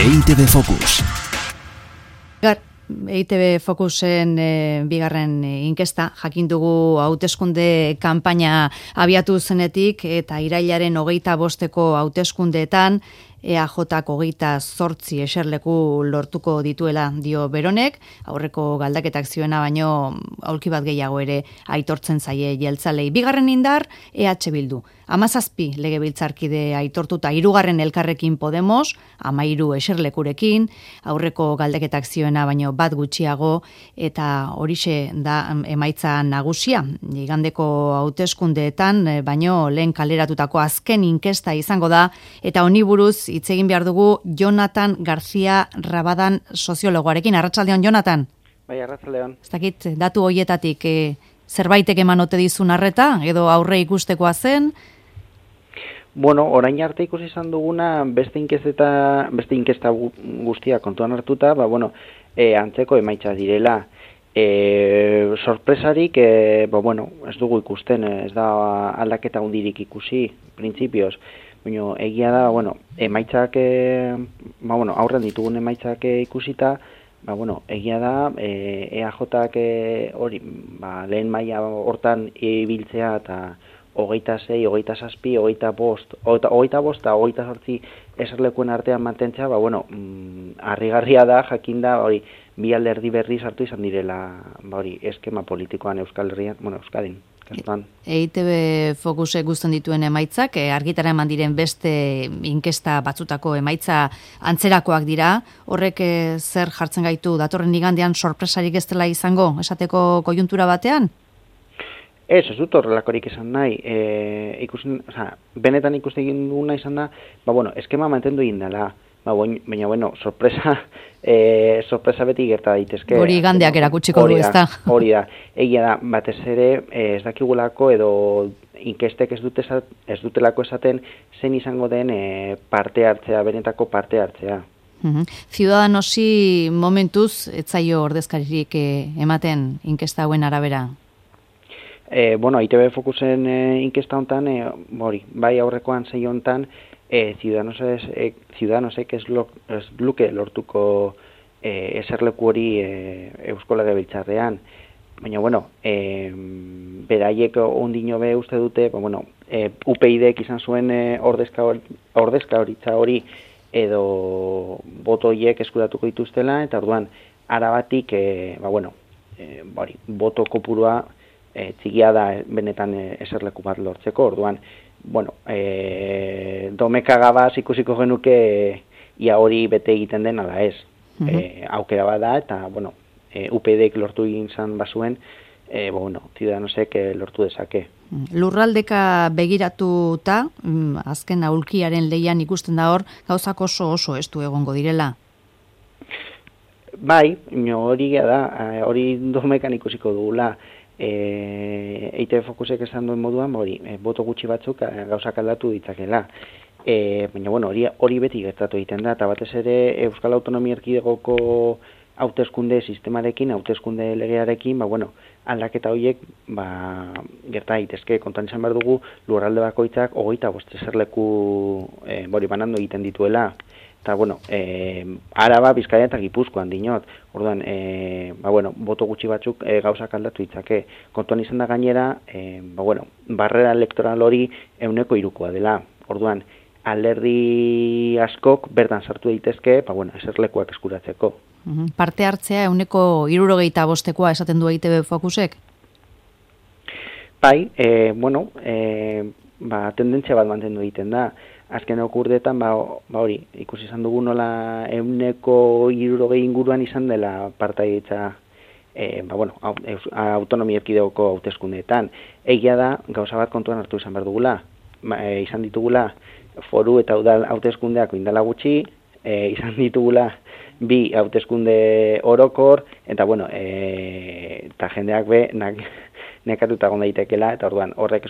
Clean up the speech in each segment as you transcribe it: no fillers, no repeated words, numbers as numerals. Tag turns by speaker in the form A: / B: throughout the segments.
A: EITB Focus.
B: EITB Focusen bigarren inkesta, jakin dugu hauteskunde kanpaina abiatu zenetik eta irailaren 25 hauteskundeetan EAJak 28 eserleku lortuko dituela dio Beronek, aurreko galdaketak zioena baino aulki bat gehiago ere aitortzen zaie jeltzalei. Bigarren indar EH Bildu. 17 legebiltzarkide aitortuta, 3. Elkarrekin Podemos, 13 eserlekurekin, aurreko galdaketak zioena baino bat gutxiago, eta horixe da emaitza nagusia. Igandeko hauteskundeetan baino lehen kaleratutako azken inkesta izango da, eta honi buruz hitz egin behar dugu Jonathan García Rabadan soziologoarekin. Arratsaldeon, Jonathan.
C: Bai, arratsaldeon.
B: Ez dakit, datu hoietatik zerbaitek eman ote dizun arreta, edo aurre ikustekoa zen?
C: Bueno, orain arte ikusi izan duguna beste inkesta guztia kontuan hartuta, antzeko emaitza direla. Sorpresarik, ez dugu ikusten, ez da aldaketa hundirik ikusi, printzipioz. Baina egia da, emaitzak, aurren ditugun emaitzak ikusita, egia da, EAJak hori, lehen maila hortan ibiltzea eta 26, 27, 25, 28 eserlekuen artean mantentzea, harrigarria da, jakinda, hori, bi alderdi berri sartu izan direla, eskema politikoan Euskal Herrian, Euskadin.
B: EITB Focusek guztien dituen emaitzak, argitara eman diren beste inkesta batzutako emaitza antzerakoak dira. Horrek zer jartzen gaitu datorren igandean sorpresarik ez dela izango, esateko koiuntura batean?
C: Ez dut horrelakorik izan nahi. Benetan ikusten egin duguna izan da, eskema mantendu egin dela. Baina, sorpresa beti gerta daitezke.
B: Hori igandeak erakutsiko du, ezta?
C: Hori da. Egia da, batez ere, ez dakigulako edo inkestek ez dutelako esaten zen izango den parte hartzea, benetako parte hartzea.
B: Ciudadanosi momentuz, ez zaio ordezkaririk ematen inkesta hauen arabera?
C: EITB Focusen inkesta hontan, bai aurrekoan zei hontan, Ciudadanosek ez luke lortuko eserleku hori Eusko Legebiltzarrean. Baina, beraiek ondino be uste dute, UPyDek izan zuen ordezkaritza hori edo botoiek eskuratuko dituztela, eta orduan, arabatik, boto kopurua txikia da benetan eserleku bat lortzeko, orduan, domekagabaz ikusiko genuke ia hori bete egiten den ala ez. Aukera bat da, eta, UPyDek lortu egin zan bazuen, Ciudadanosek lortu dezake.
B: Lurraldeka begiratuta, azken aulkiaren leian ikusten da hor, gauzak oso estu egongo direla.
C: Bai, hori da, hori domekan ikusiko dugula. EITB Focusek esan duen moduan, boto gutxi batzuk gauzak aldatu ditzakela. Baina, hori beti gertatu egiten da, eta batez ere Euskal Autonomia Erkidegoko hauteskunde sistemarekin, hauteskunde legearekin, aldaketa horiek gerta daitezke. Kontuan izan behar dugu, lurralde bakoitzak 25 eserleku banandu egiten dituela. Eta, Araba, Bizkaia eta Gipuzkoan dinot. Orduan, boto gutxi batzuk gauzak aldatu ditzake. Kontuan izan da gainera, barrera elektoral hori 3% dela. Orduan, alderdi askok bertan sartu daitezke, eserlekuak eskuratzeko.
B: Parte hartzea 65%koa esaten du EITB Focusek?
C: Bai, tendentzia bat mantendu egiten da. Azken urteetan, hori, ikusi izan dugu nola 60% inguruan izan dela partaidetza Autonomia Erkidegoko hauteskundeetan. Egia da, gauza bat kontuan hartu izan behar dugula. Izan ditugula foru eta udal hauteskundeak indala gutxi, izan ditugula 2 hauteskunde orokor, eta eta jendeak nekatuta egon daitekela, eta orduan horrek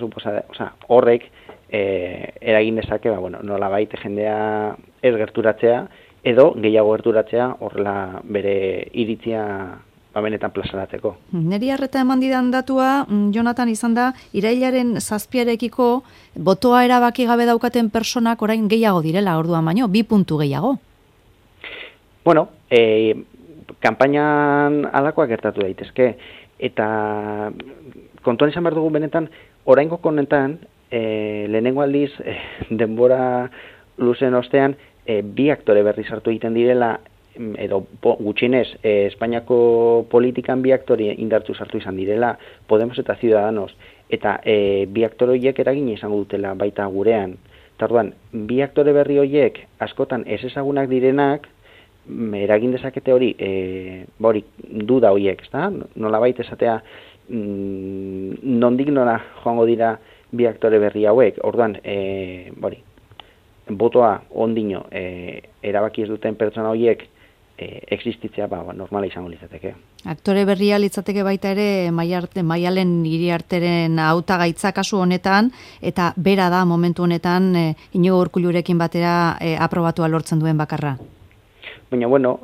C: eragin dezake, nolabait jendea ez gerturatzea, edo gehiago gerturatzea, horrela bere iritzia benetan plazaratzeko.
B: Neri harreta eman didan datua, Jonathan, izan da, irailaren 7-arekiko botoa erabaki gabe daukaten personak orain gehiago direla orduan baino, 2 puntu gehiago.
C: Bueno, kanpainan alakoak gertatu daitezke, eta kontuan izan behar dugu benetan, oraingo honetan, lehenengo aldiz, denbora luzen ostean, bi aktore berri sartu egiten direla, edo gutxienez, Espainiako politikan bi aktore indartzu sartu izan direla, Podemos eta Ciudadanos, eta bi aktore horiek eragina izango dutela baita gurean. Tarduan, bi aktore berri horiek askotan ez ezagunak direnak, eragin dezakete hori, duda horiek, ezta? Nolabait esatea, nondik nora joango dira bi aktore berri hauek, orduan, botoa ondino erabaki ez duten pertsona horiek existitzea normala izango litzateke.
B: Aktore berria litzateke baita ere Maialen Iriarteren hautagaitza kasu honetan, eta bera da momentu honetan Iñigo Urkullurekin batera aprobatua lortzen duen bakarra.
C: Baina, bueno,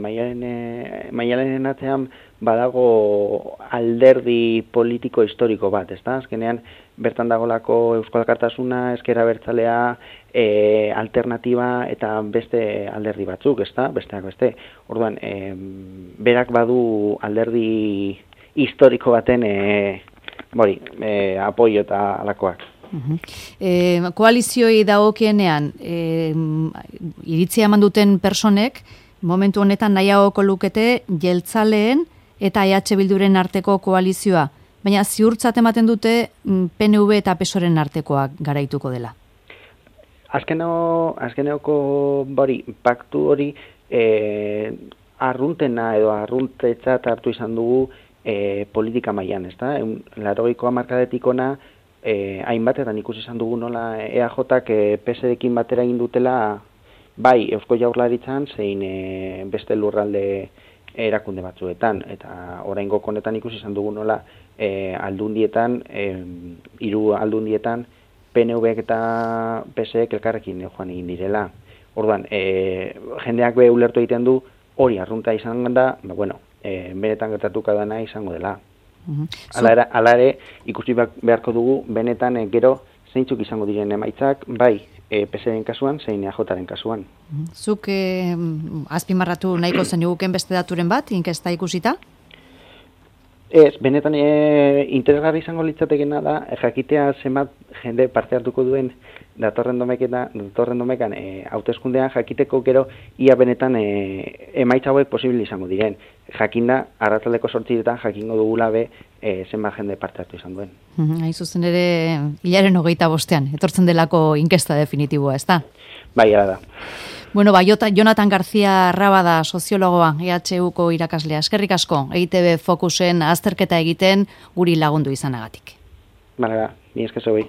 C: Maialenen atzean badago alderdi politiko historiko bat, ezta? Azkenean, bertan dagolako Euskal Alkartasuna, Ezker Abertzalea, alternatiba eta beste alderdi batzuk, ezta? Besteak beste. Orduan, berak badu alderdi historiko baten apoio eta alakoak.
B: Koalizioi dagokienean iritzia eman duten personek momentu honetan nahiagoko lukete jeltzaleen eta EH Bilduren arteko koalizioa, baina ziurtzat ematen dute PNV eta PSOEren artekoak garaituko dela.
C: Azkeneoko paktu hori arruntena edo arruntetzat hartu izan dugu politika mailan, ezta? 80ko hamarkadetik hona hainbatetan ikusi izan dugu nola EAJak PSrekin batera egin dutela bai Eusko Jaurlaritzan zein beste lurralde erakunde batzuetan, eta oraingo honetan ikusi izan dugu nola aldundietan, 3 aldundietan PNVek eta PSek elkarrekin joan egin direla. Orduan, jendeak ulertu egiten du hori arrunta izan da, benetan gertatuko dena izango dela. Hala ere, ikusi beharko dugu, benetan gero zeintzuk izango diren emaitzak, bai PSren kasuan, zein EAJaren kasuan.
B: Zuk azpimarratu nahiko zeniguken beste daturen bat, inkesta ikusita?
C: Ez, benetan interesgarri izango litzatekena da, jakitea zenbat jende parte hartuko duen datorren domekan hauteskundean jakiteko gero ia benetan emaitza hauek posible izango diren. Jakinda, arratsaldeko 8etan jakingo dugula zenbat jende parte hartu izan duen.
B: Hain zuzen ere, hilaren 25ean, etortzen delako inkesta definitiboa, ezta?
C: Bai, hala da.
B: Bueno, Jonathan García Rabada, soziologoa, EHUko irakaslea. Eskerrik asko, EITB Focusen azterketa egiten guri lagundu izanagatik.
C: Bala, ni esker zuei.